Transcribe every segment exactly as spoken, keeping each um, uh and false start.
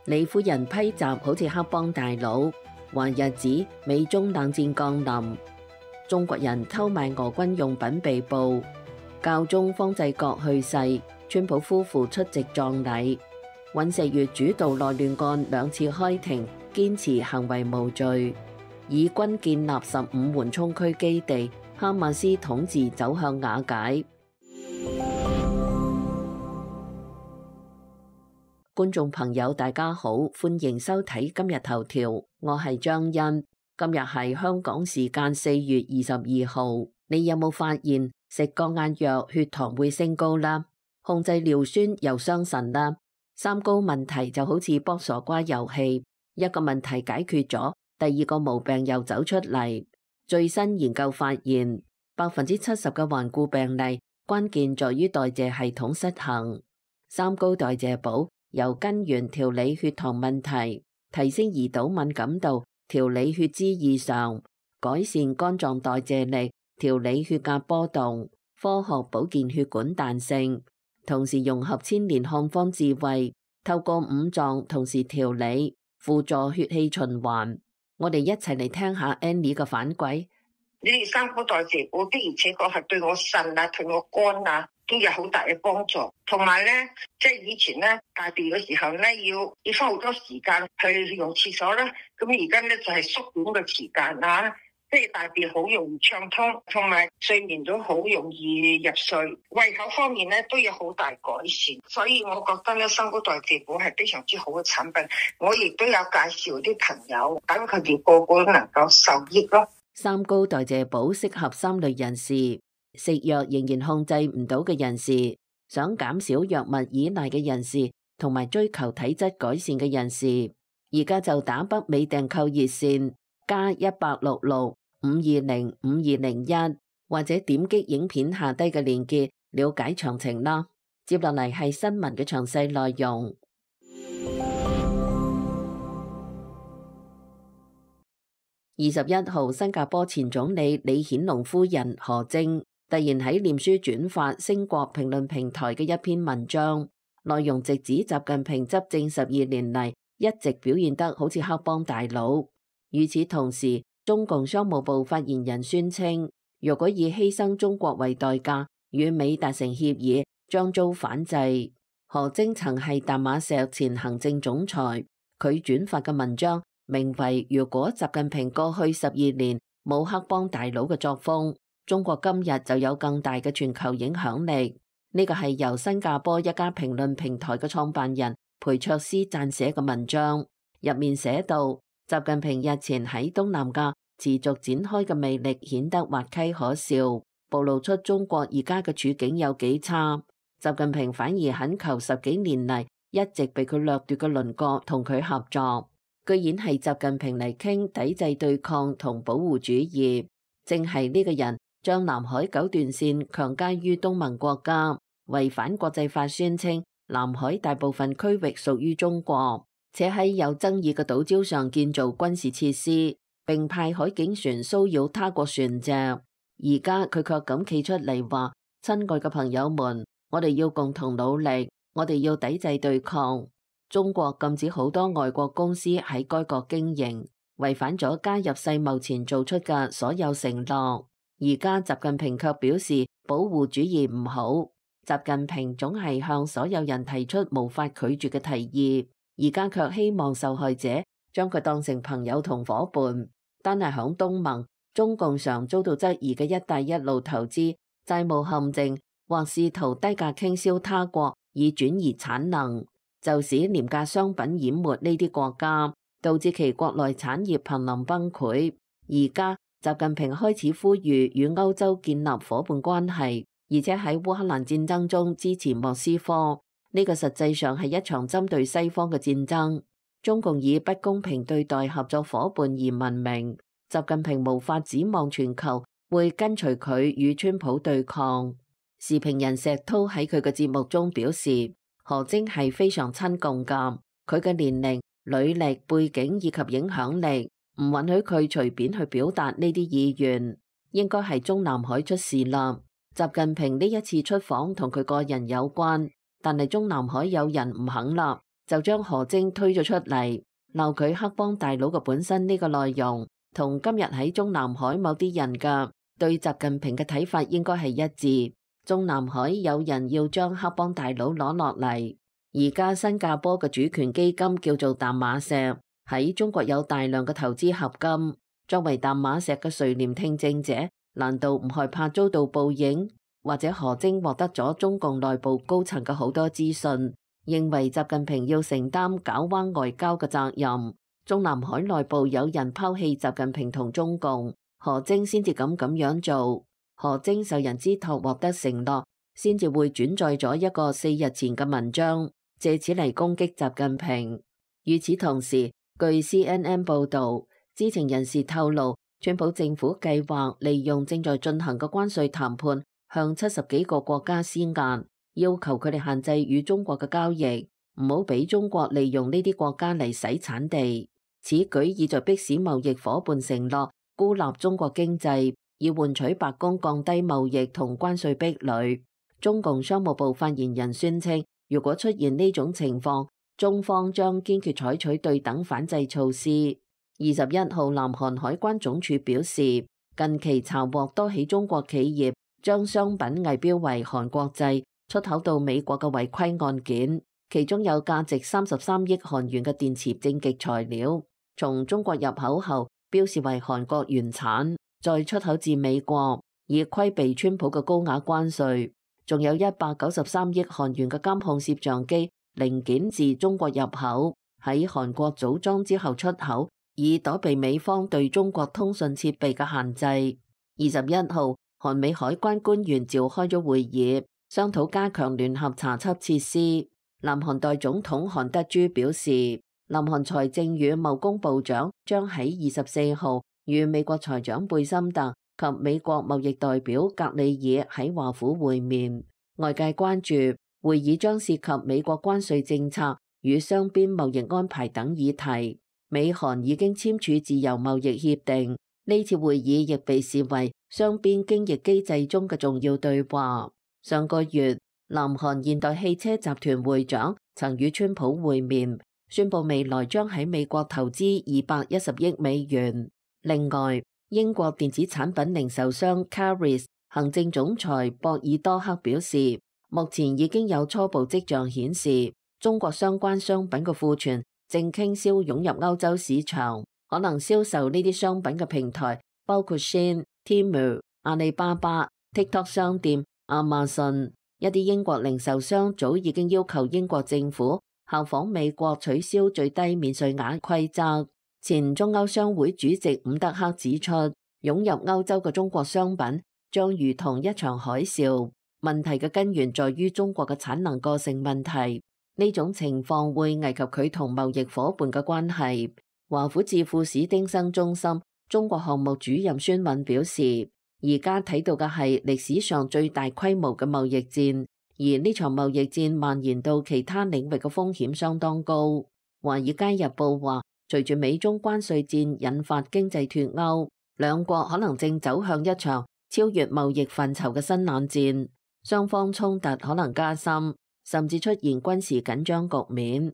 李夫人批襲好似黑幫大佬，話日子美中冷戰降臨，中國人偷賣俄軍用品被捕，教宗方濟各去世，川普夫婦出席葬禮，尹錫悅主導內亂案兩次開庭，堅持行為無罪，以軍建立十五緩衝區基地，哈馬斯統治走向瓦解。觀眾朋友大家好，歡迎收睇今日頭條，我係張欣。今日係香港時間四月二十二號，你有冇發現食降壓藥血糖會升高啦？控制尿酸又傷腎啦？三高問題就好似剝傻瓜遊戲，一個問題解決咗，第二個毛病又走出嚟。最新研究發現，百分之七十嘅頑固病例關鍵在於代謝系統失衡。三高代謝補由根源調理血糖問題，提升胰島敏感度，調理血脂異常，改善肝臟代謝力，調理血壓波動，科學保健血管彈性，同時融合千年漢方智慧，透過五臟同時調理，輔助血氣循環。我哋一齊嚟聽下 Annie 嘅反饋。呢啲三高代謝補的而且確係對我腎啊、對我肝啊都有好大嘅幫助。同埋咧，即係以前咧大便嘅時候咧，要要花好多時間去用廁所啦。咁而家咧就係縮短嘅時間啊，即係大便好容易暢通，同埋睡眠都好容易入睡。胃口方面咧都有好大改善，所以我覺得咧三高代謝補係非常之好嘅產品。我亦都有介紹啲朋友，等佢哋個個都能夠受益咯。三高代謝補適合三類人士：食藥仍然控制唔到嘅人士，想減少藥物依賴嘅人士，同埋追求體質改善嘅人士。而家就打北美訂購熱線加一八六六五二零五二零一，或者點擊影片下低嘅鏈接了解詳情啦。接落嚟係新聞嘅詳細內容。二十一號，新加坡前總理李顯龍夫人何晶突然喺臉書轉發星國評論平台嘅一篇文章，內容直指習近平執政十二年嚟一直表現得好似黑幫大佬。與此同時，中共商務部發言人宣稱，若果以犧牲中國為代價與美達成協議，將遭反制。何晶曾係淡馬錫前行政總裁，佢轉發嘅文章名為如果習近平過去十二年冇黑幫大佬嘅作風，中國今日就有更大嘅全球影響力。呢個係由新加坡一家評論平台嘅創辦人裴卓斯撰寫嘅文章，入面寫到，習近平日前喺東南亞持續展開嘅魅力顯得滑稽可笑，暴露出中國而家嘅處境有幾差。習近平反而懇求十幾年嚟一直被佢掠奪嘅鄰國同佢合作。居然係習近平嚟傾抵制對抗同保護主義，正係呢個人將南海九段線強加於東盟國家，違反國際法宣稱南海大部分區域屬於中國，且喺有爭議嘅島礁上建造軍事設施，並派海警船騷擾他國船隻。而家佢卻咁企出嚟話：親愛嘅朋友們，我哋要共同努力，我哋要抵制對抗。中國禁止好多外國公司喺該國經營，違反咗加入世貿前做出嘅所有承諾。而家習近平卻表示保護主義唔好。習近平總係向所有人提出無法拒絕嘅提議，而家卻希望受害者將佢當成朋友同夥伴。單係響東盟，中共常遭到質疑嘅一帶一路投資債務陷阱，或試圖低價傾銷他國以轉移產能，就使廉價商品淹沒呢啲國家，導致其國內產業瀕臨崩潰。而家習近平開始呼籲與歐洲建立夥伴關係，而且喺烏克蘭戰爭中支持莫斯科。呢個實際上係一場針對西方嘅戰爭。中共以不公平對待合作夥伴而聞名，習近平無法指望全球會跟隨佢與川普對抗。時評人石濤喺佢嘅節目中表示，何晶係非常親共㗎，佢嘅年齡、履歷、背景以及影響力唔允許佢隨便去表達呢啲意願，應該係中南海出事啦。習近平呢一次出訪同佢個人有關，但係中南海有人唔肯啦，就將何晶推咗出嚟，鬧佢黑幫大佬嘅本身呢個內容，同今日喺中南海某啲人嘅對習近平嘅睇法應該係一致。中南海有人要將黑幫大佬攞落嚟，而家新加坡嘅主權基金叫做淡馬錫，喺中國有大量嘅投資合金。作為淡馬錫嘅垂簾聽政者，難道唔害怕遭到報應？或者何晶獲得咗中共內部高層嘅好多資訊，認為習近平要承擔搞彎外交嘅責任。中南海內部有人拋棄習近平同中共，何晶先至敢咁樣做。何晶受人之託獲得承諾，先至會轉載咗一個四日前嘅文章，借此嚟攻擊習近平。與此同時，據 C N N 報導，知情人士透露，川普政府計劃利用正在進行嘅關稅談判，向七十幾個國家施壓，要求佢哋限制與中國嘅交易，唔好俾中國利用呢啲國家嚟洗產地。此舉意在迫使貿易夥伴承諾孤立中國經濟，以換取白宮降低貿易同關稅壁壘。中共商務部發言人宣稱，如果出現呢種情況，中方將堅決採取對等反制措施。二十一號，南韓海關總署表示，近期查獲多起中國企業將商品偽標為韓國製出口到美國嘅違規案件，其中有價值三十三億韓元嘅電池正極材料，從中國入口後標示為韓國原產，再出口至美國，以規避川普嘅高額關稅。仲有一百九十三億韓元嘅監控攝像機零件自中國入口，喺韓國組裝之後出口，以躲避美方對中國通訊設備嘅限制。二十一號，韓美海關官員召開咗會議，商討加強聯合查緝設施。南韓代總統韓德洙表示，南韓財政與貿工部長將喺二十四號與美國財長貝森特及美國貿易代表格里爾喺華府會面。外界關注會議將涉及美國關稅政策與雙邊貿易安排等議題。美韓已經簽署自由貿易協定，呢次會議亦被視為雙邊經貿機制中嘅重要對話。上個月，南韓現代汽車集團會長曾與川普會面，宣布未來將喺美國投資二百一十億美元。另外，英國電子產品零售商 Caris 行政總裁博爾多克表示，目前已經有初步跡象顯示，中國相關商品嘅庫存正傾銷湧入歐洲市場，可能銷售呢啲商品嘅平台包括 Shein、Temu、阿里巴巴、TikTok 商店、Amazon。一啲英國零售商早已經要求英國政府效仿美國取消最低免稅額規則。前中歐商會主席伍德克指出，湧入歐洲嘅中國商品將如同一場海嘯，問題嘅根源在於中國嘅產能過剩問題。呢種情況會危及佢同貿易夥伴嘅關係。華府智庫史丁生中心中國項目主任孫敏表示，而家睇到嘅係歷史上最大規模嘅貿易戰，而呢場貿易戰蔓延到其他領域嘅風險相當高。華爾街日報話，隨住美中關稅戰引發經濟脫鈎，兩國可能正走向一場超越貿易範疇嘅新冷戰，雙方衝突可能加深，甚至出現軍事緊張局面。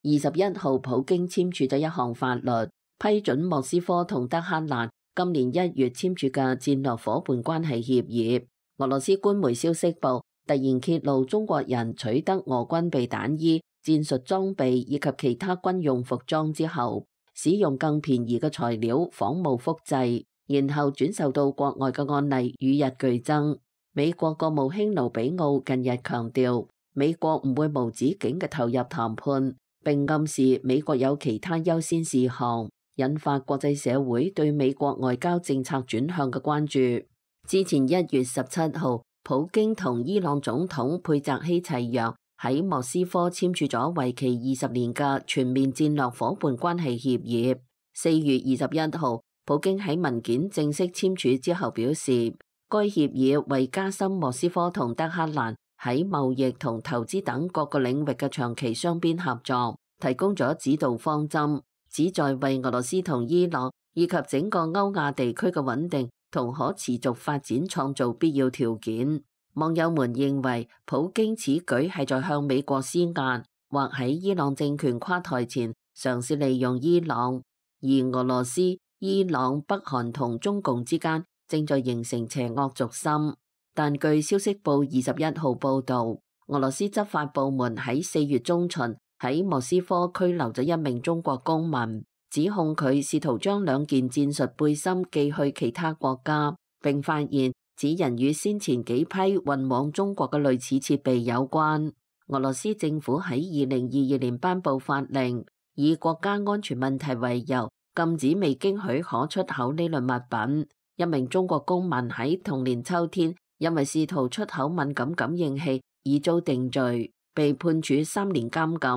二十一號，普京簽署咗一項法律，批准莫斯科同德黑蘭今年一月簽署嘅戰略夥伴關係協議。俄羅斯官媒消息報突然揭露中國人取得俄軍備彈衣、戰術裝備以及其他軍用服裝之後，使用更便宜嘅材料仿冒複製，然後轉售到國外嘅案例與日俱增。美國國務卿盧比奧近日強調，美國唔會無止境嘅投入談判，並暗示美國有其他優先事項，引發國際社會對美國外交政策轉向嘅關注。之前一月十七號，普京同伊朗總統佩澤希齊揚喺莫斯科簽署咗為期二十年嘅全面戰略夥伴關係協議。四月二十一號，普京喺文件正式簽署之後表示，該協議為加深莫斯科同德黑蘭喺貿易同投資等各個領域嘅長期雙邊合作提供咗指導方針，旨在為俄羅斯同伊朗以及整個歐亞地區嘅穩定同可持續發展創造必要條件。網友們認為普京此舉係在向美國施壓，或喺伊朗政權垮台前嘗試利用伊朗。而俄羅斯、伊朗、北韓同中共之間正在形成邪惡軸心。但據消息報二十一號報導，俄羅斯執法部門喺四月中旬喺莫斯科拘留咗一名中國公民，指控佢試圖將兩件戰術背心寄去其他國家，並發現此人與先前幾批運往中國嘅類似設備有關。俄羅斯政府喺二零二二年頒布法令，以國家安全問題為由，禁止未經許可出口呢類物品。一名中國公民喺同年秋天，因為試圖出口敏感感應器，已遭定罪，被判處三年監禁。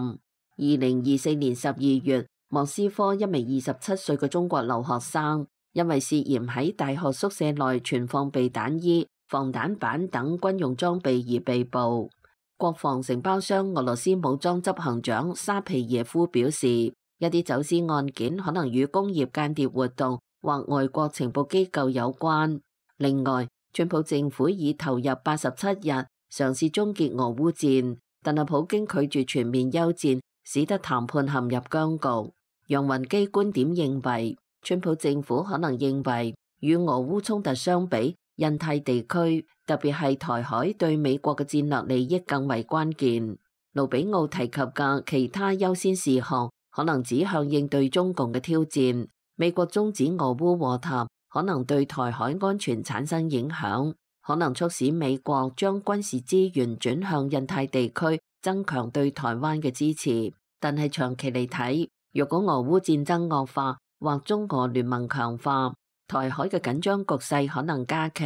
二零二四年十二月，莫斯科一名二十七歲嘅中國留學生，因為涉嫌喺大學宿舍內存放避彈衣、防彈板等軍用裝備而被捕。國防承包商俄羅斯武裝執行長沙皮耶夫表示，一啲走私案件可能與工業間諜活動或外國情報機構有關。另外，川普政府已投入八十七日嘗試終結俄烏戰，但係普京拒絕全面休戰，使得談判陷入僵局。楊雲基觀點認為，川普政府可能認為與俄烏衝突相比，印太地區特別係台海對美國嘅戰略利益更為關鍵。盧比奧提及嘅其他優先事項可能指向應對中共嘅挑戰。美國終止俄烏和談可能對台海安全產生影響，可能促使美國將軍事資源轉向印太地區，增強對台灣嘅支持。但係長期嚟睇，若果俄烏戰爭惡化或中俄聯盟強化，台海嘅緊張局勢可能加劇。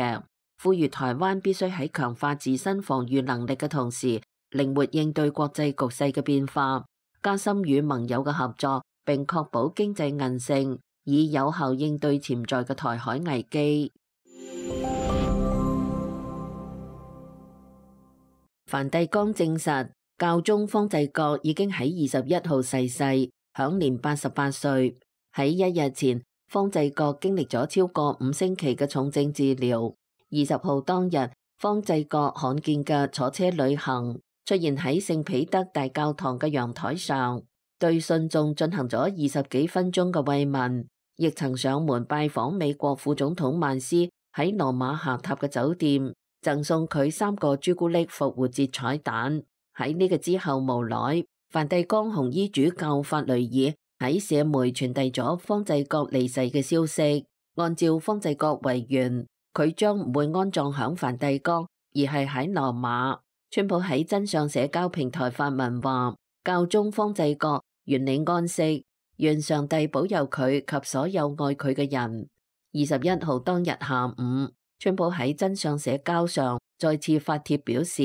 呼籲台灣必須喺強化自身防禦能力嘅同時，靈活應對國際局勢嘅變化，加深與盟友嘅合作，並確保經濟韌性，以有效應對潛在嘅台海危機。梵蒂岡證實，教宗方濟各已經喺二十一號逝世，享年八十八歲。喺一日前，方濟各經歷咗超過五星期嘅重症治療。二十號當日，方濟各罕見嘅坐車旅行，出現喺聖彼得大教堂嘅陽台上，對信眾進行咗二十幾分鐘嘅慰問，亦曾上門拜訪美國副總統曼斯喺羅馬下榻嘅酒店，贈送佢三個朱古力復活節彩蛋。喺呢個之後無耐，梵蒂岡紅衣主教法雷爾喺社媒傳遞咗方濟各離世嘅消息。按照方濟各遺願，佢將唔會安葬響梵蒂岡，而係喺羅馬。川普喺真相社交平台發文話，教宗方濟各願你安息，願上帝保佑佢及所有愛佢嘅人。二十一號當日下午，川普喺真相社交上再次發帖表示，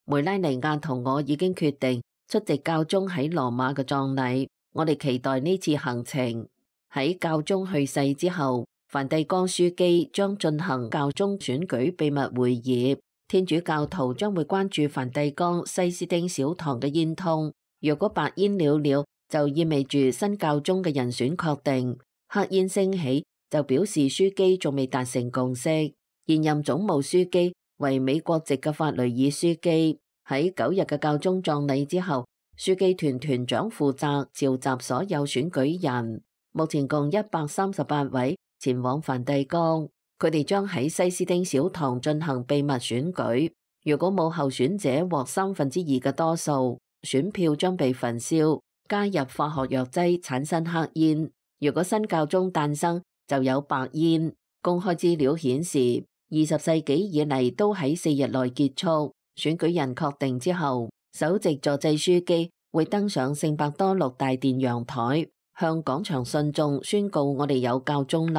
梅拉尼亞同我已經決定出席教宗喺羅馬嘅葬禮，我哋期待呢次行程。喺教宗去世之後，梵蒂岡樞機將進行教宗選舉秘密會議，天主教徒將會關注梵蒂岡西斯丁小堂嘅煙通。若果白煙裊裊，就意味住新教宗嘅人選確定；黑煙升起，就表示樞機仲未達成共識。現任總務樞機為美國籍嘅法雷爾樞機，喺九日嘅教宗葬禮之後，樞機團團長負責召集所有選舉人，目前共一百三十八位前往梵蒂岡，佢哋將喺西斯丁小堂進行秘密選舉。如果冇候選者獲三分之二嘅多數，選票將被焚燒，加入化學藥劑產生黑煙。如果新教宗誕生，就有白煙。公開資料顯示，二十世紀以嚟都喺四日內結束。選舉人確定之後，首席助祭樞機會登上聖伯多祿大殿陽台，向廣場信眾宣告我哋有教宗立。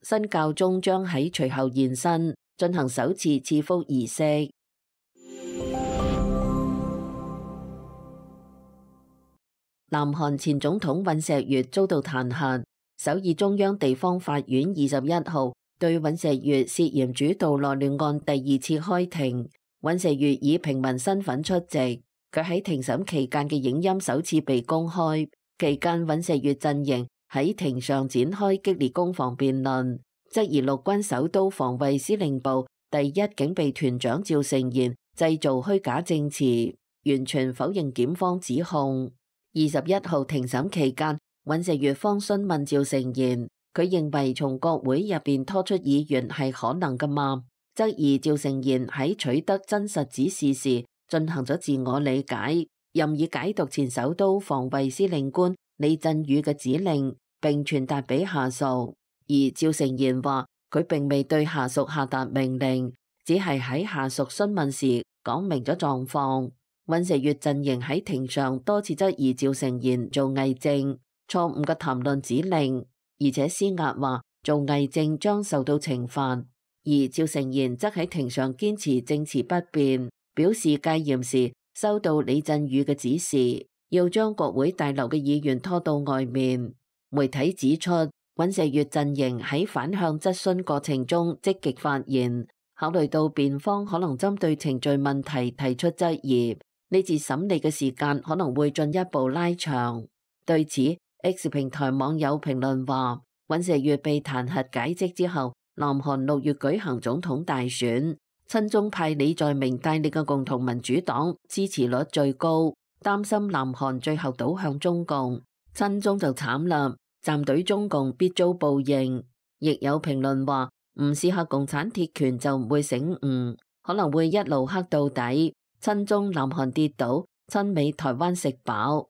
新教宗將喺隨後現身，進行首次賜福儀式。南韓前總統尹錫悅遭到彈劾，首爾中央地方法院二十一號對尹錫悅涉嫌主導內亂案第二次開庭。尹錫悅以平民身份出席，佢喺庭審期間嘅影音首次被公開。期間，尹錫悅陣營喺庭上展開激烈攻防辯論，質疑陸軍首都防衛司令部第一警備團長趙成賢製造虛假證詞，完全否認檢方指控。二十一號庭審期間，尹錫悅方詢問趙成賢，佢認為從國會入邊拖出議員係可能㗎嘛？質疑趙成賢喺取得真實指示時進行咗自我理解，任意解讀前首都防衛司令官李振宇嘅指令，並傳達俾下屬。而趙成賢話佢並未對下屬下達命令，只係喺下屬詢問時講明咗狀況。尹錫悅陣營喺庭上多次質疑趙成賢做偽證，錯誤嘅談論指令，而且施壓話做偽證將受到懲罰。而趙成賢則喺庭上堅持證詞不變，表示戒嚴時收到李振宇嘅指示，要將國會大樓嘅議員拖到外面。媒體指出，尹錫悅陣營喺反向質詢過程中積極發言，考慮到辯方可能針對程序問題提出質疑，呢次審理嘅時間可能會進一步拉長。對此 ，X 平台網友評論話，尹錫悅被彈劾解職之後，南韓六月舉行總統大選，親中派李在明帶領嘅共同民主黨支持率最高，擔心南韓最後倒向中共，親中就慘啦，站隊中共必遭報應。亦有評論話，唔試下共產鐵拳就唔會醒悟，可能會一路黑到底，親中南韓跌倒，親美台灣食飽。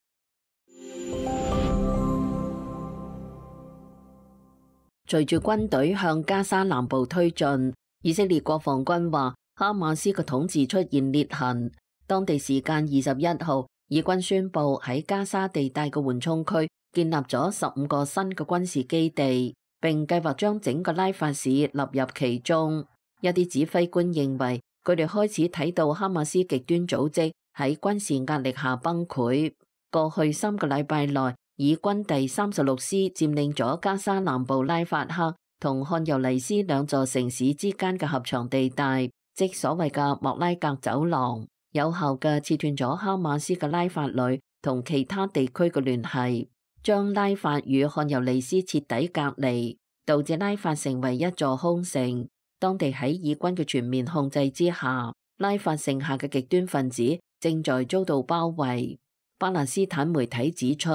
隨住軍隊向加沙南部推進，以色列國防軍話哈馬斯嘅統治出現裂痕。當地時間二十一號，以軍宣布喺加沙地帶嘅緩衝區建立咗十五個新嘅軍事基地，並計劃將整個拉法市納入其中。一啲指揮官認為，佢哋開始睇到哈馬斯極端組織喺軍事壓力下崩潰。過去三個禮拜內，以軍第三十六師佔領咗加沙南部拉法克同漢尤尼斯兩座城市之間嘅狹長地帶，即所謂嘅莫拉格走廊，有效嘅切斷咗哈馬斯嘅拉法旅同其他地區嘅聯繫，將拉法與漢尤尼斯徹底隔離，導致拉法成為一座空城。當地喺以軍嘅全面控制之下，拉法剩下嘅極端分子正在遭到包圍。巴勒斯坦媒體指出，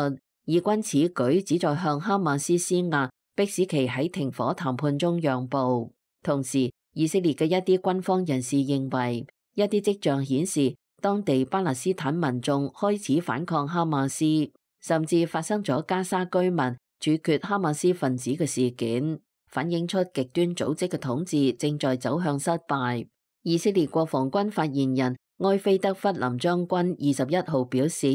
以軍此舉旨在向哈馬斯施壓，迫使其喺停火談判中讓步。同時，以色列嘅一啲軍方人士認為，一啲跡象顯示當地巴勒斯坦民眾開始反抗哈馬斯，甚至發生咗加沙居民處決哈馬斯分子嘅事件，反映出極端組織嘅統治正在走向失敗。以色列國防軍發言人埃菲德弗林將軍二十一號表示，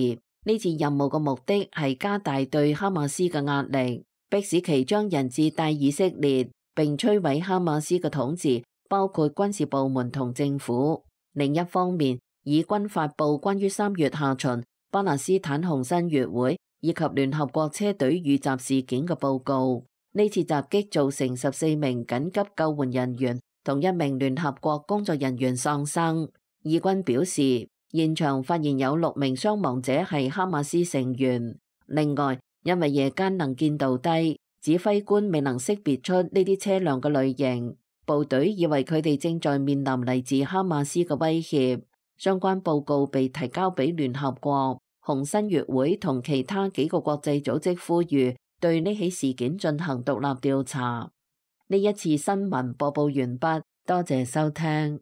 呢次任務嘅目的係加大對哈馬斯嘅壓力，迫使其將人質帶以色列，並摧毀哈馬斯嘅統治，包括軍事部門同政府。另一方面，以軍發布關於三月下旬巴勒斯坦紅新月會以及聯合國車隊遇襲事件嘅報告。呢次襲擊造成十四名緊急救援人員同一名聯合國工作人員喪生。以軍表示，現場發現有六名傷亡者係哈馬斯成員。另外，因為夜間能見度低，指揮官未能識別出呢啲車輛嘅類型，部隊以為佢哋正在面臨嚟自哈馬斯嘅威脅。相關報告被提交俾聯合國、紅新月會同其他幾個國際組織，呼籲對呢起事件進行獨立調查。呢一次新聞播報完畢，多謝收聽。